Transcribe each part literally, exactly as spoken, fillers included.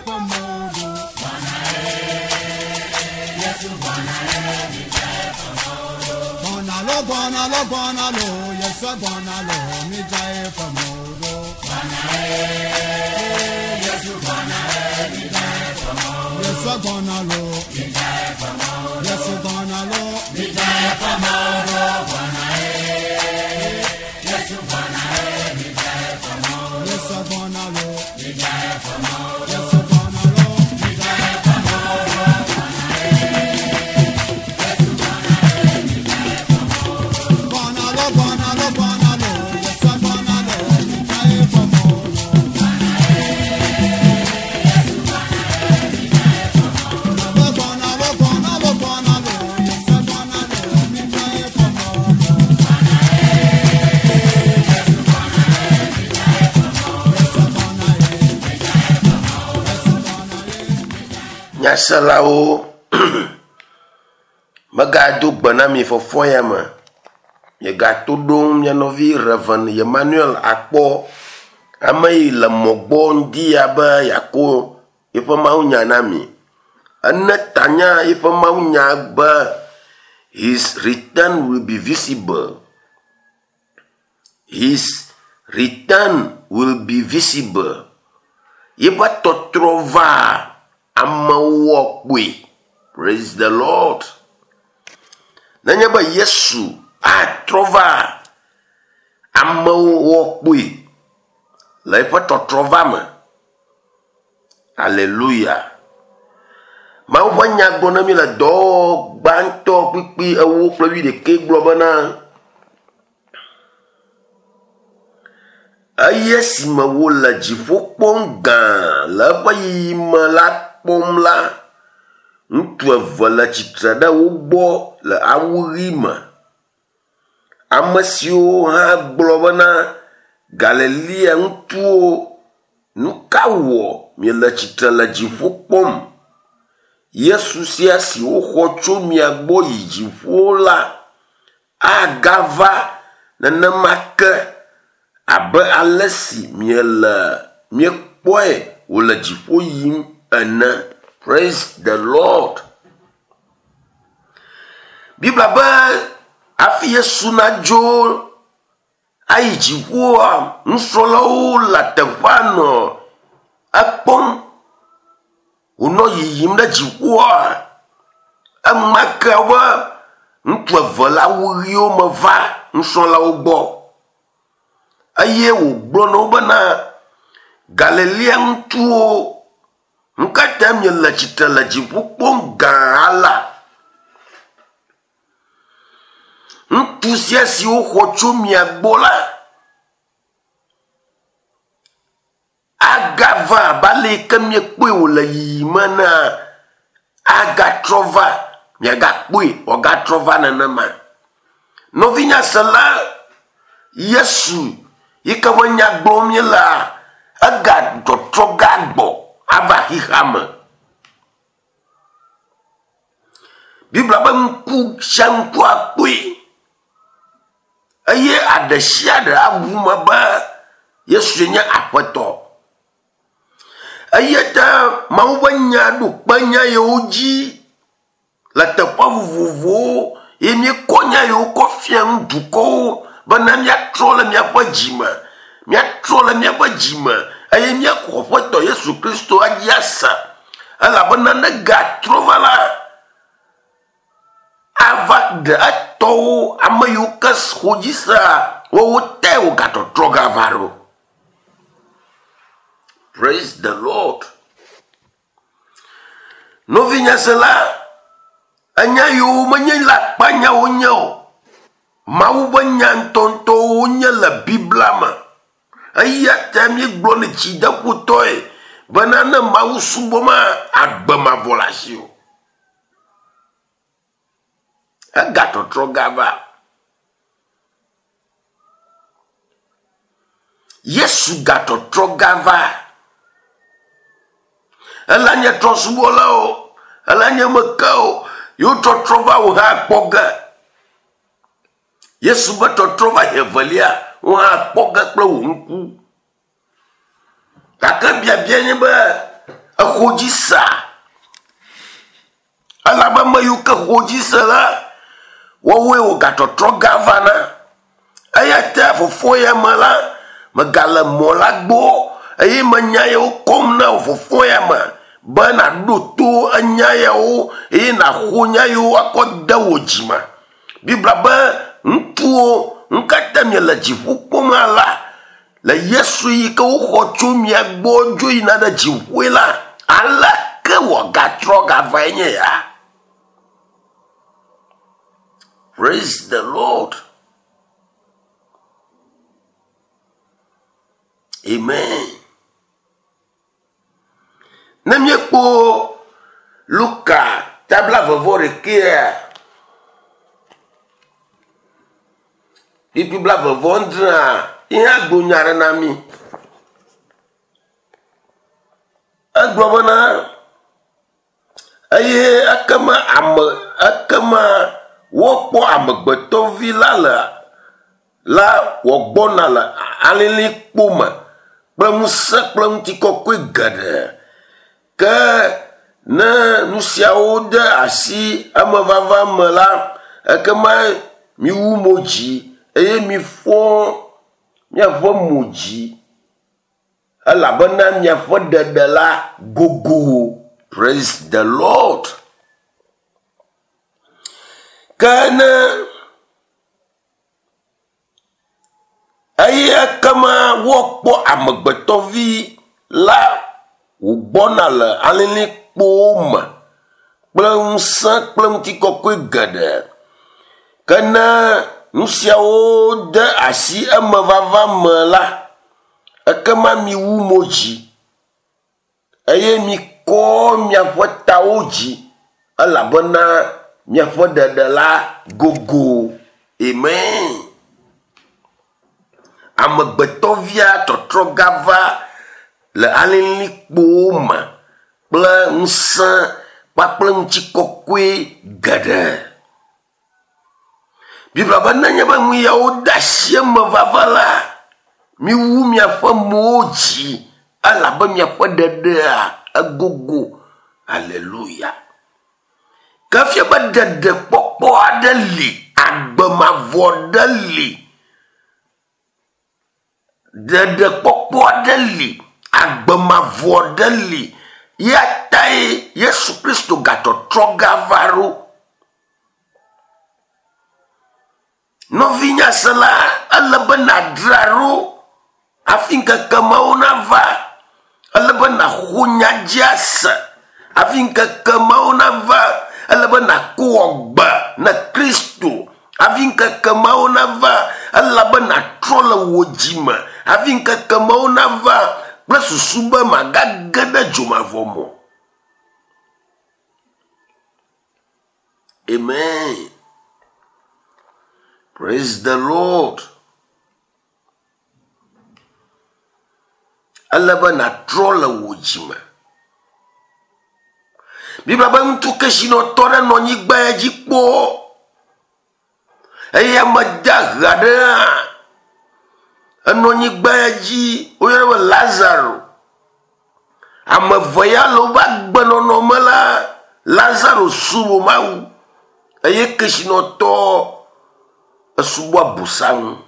fɔmɔdo. Gbɔna lo gbɔna lo gbɔna lo Yesu gbɔna lo mi dza ye fɔmɔdo. Yesu gbɔna lo Yesu gbɔna lo mi dza ye fɔmɔdo. Yesu gbɔna lo Yesu gbɔna lo mi dza ye fɔmɔdo. Gbɔna lo gbɔna lo gbɔna lo Yesu gbɔna lo mi dza ye fɔmɔdo. Gbɔna lo gbɔna lo gbɔna lo Yesu gbɔna lo mi dza ye fɔmɔdo. Yesu gbɔna ye. Yesu gbɔna ye. Nyaselawo megado gbe na mi fɔfɔ ya me. Miegato ɖom mia nɔvi Reverend Emmanuel akpɔ ame yi le mɔ gbɔ ŋdi ya be yeako yeƒe mawunya na mi. Ene tanya yeƒe mawunya be his return will be visible. His return will be visible. Yeƒe tɔtrɔ va amewo kpoe. Praise the Lord. Nenye be Yesu atrɔ va amewo kpoe le eƒe tɔtrɔ va me. Hallelujah. Mawu ƒe nya gblɔ na mi le dɔwɔwɔ gbãtɔ kpukpui ewo kple wuiɖekɛ gblɔ bena eye esime wole dziƒo kpɔm gã le eƒe yiyime la kpɔm la, ŋutsu eve le tsitre ɖe wo gbɔ le awu ɣi me. Ame siwo hã gblɔ bena Galilea ŋutsuwo, nu ka wɔ miele tsitre le dziƒo kpɔm? Yesu sia si woxɔ tso mia gbɔ yi dziƒo la agava nenema ke abe ale si miele miekpɔe wòle dziƒo yim ene. Praise the Lord. Biblia be hafi Yesu nadzo ayi dziƒoa, nusrɔ̃lawo le teƒea nɔ ekpɔm wònɔ yiyim ɖe dziƒoa. Enumake be ŋutsu eve le awu ɣiwo me va nusrɔ̃lawo gbɔ eye wògblɔ na wo bena Galilea ŋutsuwo, nu ka ta miele tsitre le dziƒo kpɔm gã alea? Ŋutsu sia si woxɔ tso mia gbɔ la agava abe ale yi ke miekpɔe wòle yiyim enea, agatrɔ va, miagakpɔe wòagatrɔ va nenema. Nɔvinyasela, Yesu yi ke ƒe nya gblɔm míelea, egatɔtrɔ gagbɔ ava xexea me. Biblia be ŋku sia ŋku akpɔe eye aɖe sia ɖe aʋu me be Yesue nye Aƒetɔ. Eya ta Mawu ƒe nya ɖo kpe nya yiwo dzi le teƒe vovovowo ye míekɔ nya yiwo kɔ fia nu dukɔwo bena míatrɔ le míaƒe dzime, míatrɔ le míaƒe dzime eye míaxɔ Aƒetɔ Yesu Kristo adzi ase elabena ne gatrɔ va la, ava ɖe etɔwo ame yiwo ke xɔ dzi sea woawo te wògatɔtrɔ gava ɖo. Praise the Lord. Nɔvinyasela, enya yiwo menye le akpanyawo nye o. Mawu ƒe nya ŋutɔŋutɔwo wonye le Biblia me. Eya ta míegblɔ ne dzideƒotɔe bena ne Mawu subɔma, agbe mavɔ le asiwò. Egatɔtrɔ gava. Yesu gatɔtrɔ gava. Ela nye trɔ̃subɔlawo, ela nye meke yewo tɔtrɔ va wò hã kpɔ ge. Yesu be tɔtrɔ va evelia, wò hã kpɔ ge kple wò ŋku. Gake biabia nye be, Exɔ dzi sa. Elabe ame yiwo ke xɔ dzi se la, woawoe wògatɔtrɔ gavana. Eya ta fofo ya me la, megale mɔ la gbɔ eye menya yawo kɔm na wò fofo ya me be nàɖo to enya yawo eye nàxɔ nya yawo akɔ de wò dzime. Biblia be ŋutsuwo nu ka ta miele dziƒo kpɔm alea? Le Yesu yi ke woxɔ tso mia gbɔ dzo yina ɖe dziƒoe la, aleke wòagatrɔ gavae nye ya? Praise the Lord. Amen. Ne míekpɔ Luka tabla vevɔ ɖekea, kpukpui blaeve vɔ adrea, ye hã gblɔ nya aɖe na mí. Egblɔ bena, eye ekema ame ekema woakpɔ amegbetɔvi la le la wògbɔna le alilikpo me kple ŋusẽ kple ŋutikɔkɔe geɖe. Ke ne nu siawo de asi emevava me la, ekema miwu mo dzi eye mifɔ miaƒe mo dzi elabena miaƒe ɖeɖe la gogo. Praise the Lord. Ke ne eye ekema woakpɔ amegbetɔvi la wògbɔna le alilikpowo me kple ŋusẽ kple ŋutikɔkɔe geɖe. Ke ne nu siawo de asi emevava me la, ekema miwu mo dzi eye mikɔ miaƒe tawo dzi elabena miaƒe ɖeɖe la gogo. Amen. Amegbetɔvia tɔtrɔ gava le alilikpowo me kple ŋusẽ kpakple ŋutikɔkɔe geɖe. Biblia be nenye be nu yawo de asi emevava la, miwu miaƒe mowo dzi elabe miaƒe ɖeɖea egogo. Hallelujah. Ke fia be ɖeɖekpɔkpɔ aɖe li, agbe mavɔ ɖe li. Ɖeɖekpɔkpɔ aɖe li, agbe mavɔ ɖe li. Ya tae Yesu Kristo gatɔtrɔ gava ɖo. Nɔvinyasela, ele be nàdzra ɖo hafi ŋkeke mawo nava. Ele be nàxɔ nya dzi ase hafi ŋkeke mawo nava. Ele be nàko gbe na Kristo hafi ŋkeke mawo nava. Ele be nàtrɔ le wò dzime hafi ŋkeke mawo nava kple susu be màgage ɖe dzomavɔ me o. Amen. Praise the Lord. Ele be nàtrɔ le wò dzime. Biblia be ŋutsu kesinɔtɔ ɖe nɔ anyigba ya dzi kpɔ eye ame dahe aɖe hã enɔ anyigba ya dzi woyɔnɛ be Lazaro. Ame eve ya le woƒe agbenɔnɔ me la, Lazaro subɔ Mawu eye kesinɔtɔ esubɔ Abosam.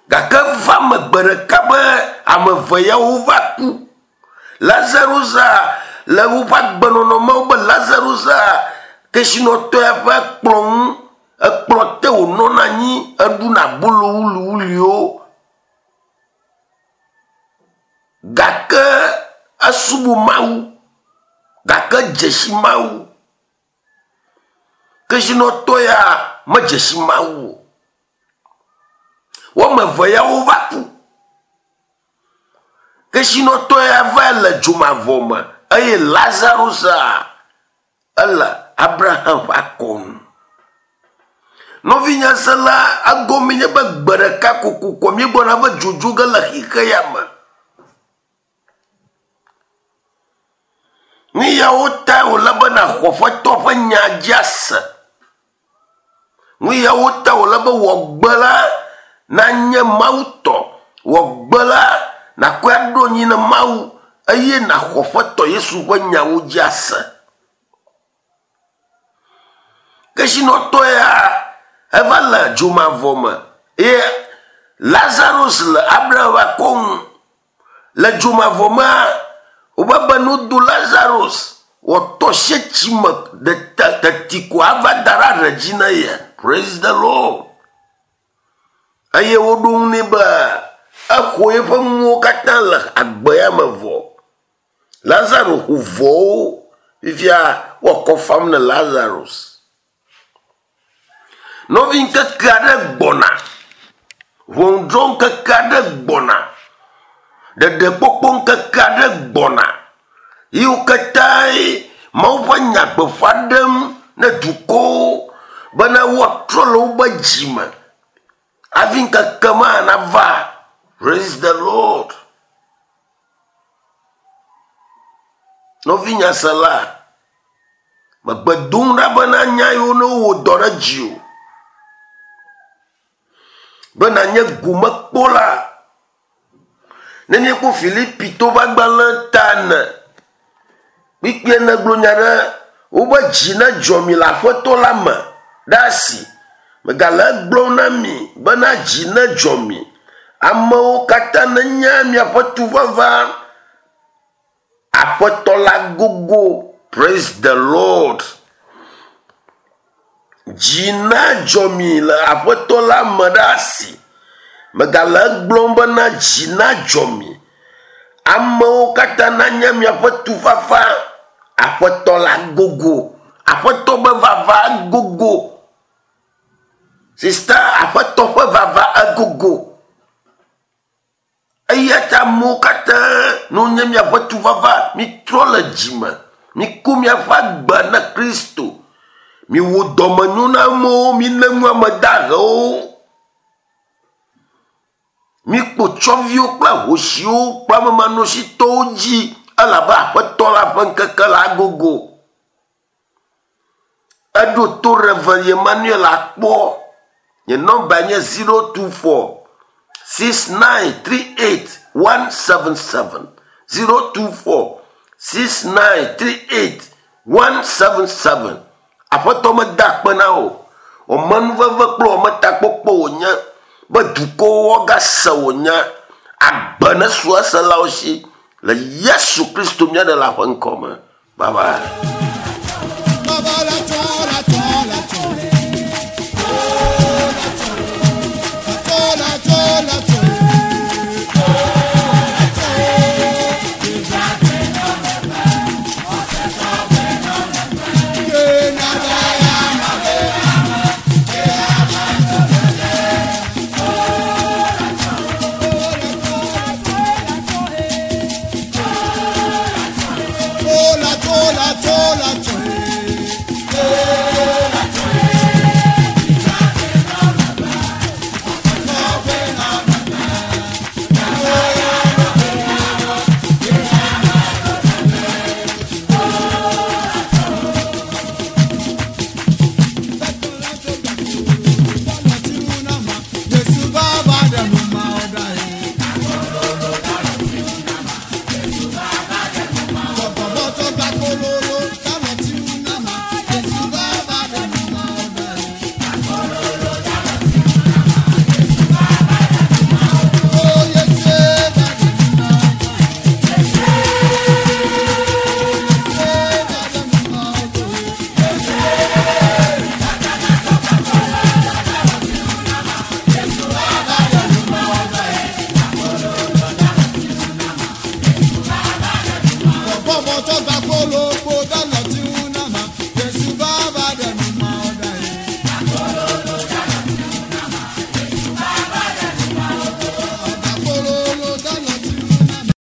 Gake va me gbe ɖeka be ame eve yawo va ku. Lazaro za le woƒe agbenɔnɔ me wobe Lazaro za kesinɔtɔ ya ƒe kplɔ ŋu, ekplɔ te wònɔna anyi eɖuna abolo wuliwuliwo. Gake esubɔ Mawu, gake dze si Mawu. Kesinɔtɔ ya medze si Mawu o. Woame eve ya wova ku. Kesinɔtɔ ya va le dzomavɔ me eye Lazaro za ele Abraham ƒe akɔnu. Nɔvinyasela, egɔme nye be gbe ɖeka kokoko míegbɔna be dzodzo ge le xixe ya me. Nu yawo tae wòle be nàxɔ Aƒetɔ ƒe nya dzi ase. Nu yawo tae wòle be wò gbe la nanye Mawu tɔ. Wò gbe la nàkɔe aɖo anyi na Mawu Eye naxɔ ƒetɔ Yesu ƒe nyawo dzi ase. Kesinɔtɔ ya eva le dzomavɔ me eye Lazarus le Abraham ƒe akɔnu. Le dzomavɔ mea, wobe be no do Lazarus wòtɔ sie tsi me teti ko ava da ɖe aɖe dzi na ye. Praise the Lord. Eye woɖo ŋu nɛ be exɔ eƒe nuwo katã le agbe ya me vɔ. Lazaro ƒo vɔwo fifia woakɔ fam ne Lazarus. Nɔvi ŋkeke aɖe gbɔna. Ʋɔnudrɔ̃ ŋkeke aɖe gbɔna. Ɖeɖekpɔkpɔ ŋkeke aɖe gbɔna. Yiwo katãe Mawu ƒe nya gbeƒã ɖem ne dukɔwo bena woatrɔ le woƒe dzime. Hafi ŋkeke ma nava. Praise the Lord. Nɔvi nyasela, megbe dom ɖa bena nya yiwo ne wowɔ dɔ ɖe dziwò. Be nanye gomekpɔla. Ne míekpɔ Filipitɔwo ƒe agbalẽ ta ene, kpikpie negblɔ nya ɖe wobe dzi nedzɔ mi le aƒetɔ la me ɖe asi. Megale egblɔm na mi bena dzi nedzɔ mi. Amewo katã nenya miaƒe tufafa. Aƒetɔ la gogo. Praise the Lord. Dzi nadzɔ mi le aƒetɔ la me ɖe asi. Megale egblɔm bena dzi nadzɔ mi. Amewo katã nanya miaƒe tufafa. Aƒetɔ la gogo. Aƒetɔ be vava gogo. Sista, aƒetɔ ƒe vava egogo. Eya ta amewo katã ne wonye miaƒe tufafa, mitrɔ le dzime. Miku miaƒe agbe na Kristo. Miwɔ dɔmenyo na amewo, mile nu ame dahewo. Mikpo tsɔviwo kple ahosiwo kple amemanɔsitɔwo dzi elabe aƒetɔ la ƒe ŋkeke la gogo. Eɖo to Reverend Emmanuel akpɔ. Nye nɔmba nye zero two four six nine three eight one seven seven. zero two four six nine three eight one seven seven. Aƒetɔ meda akpe na wò. Wɔmenuveve kple wɔmetakpɔkpɔ wònye be dukɔwo woagase wò nya. Agbe nesu eselawo si le Yesu Kristo mía Ɖela ƒe ŋkɔ me. Bye bye. Baba la tɔ la tɔ la tɔ. La tɔ la tɔ la tɔ. La tɔ la tɔ. Bọ́bọ̀ tó gbà kó ló kó dáná.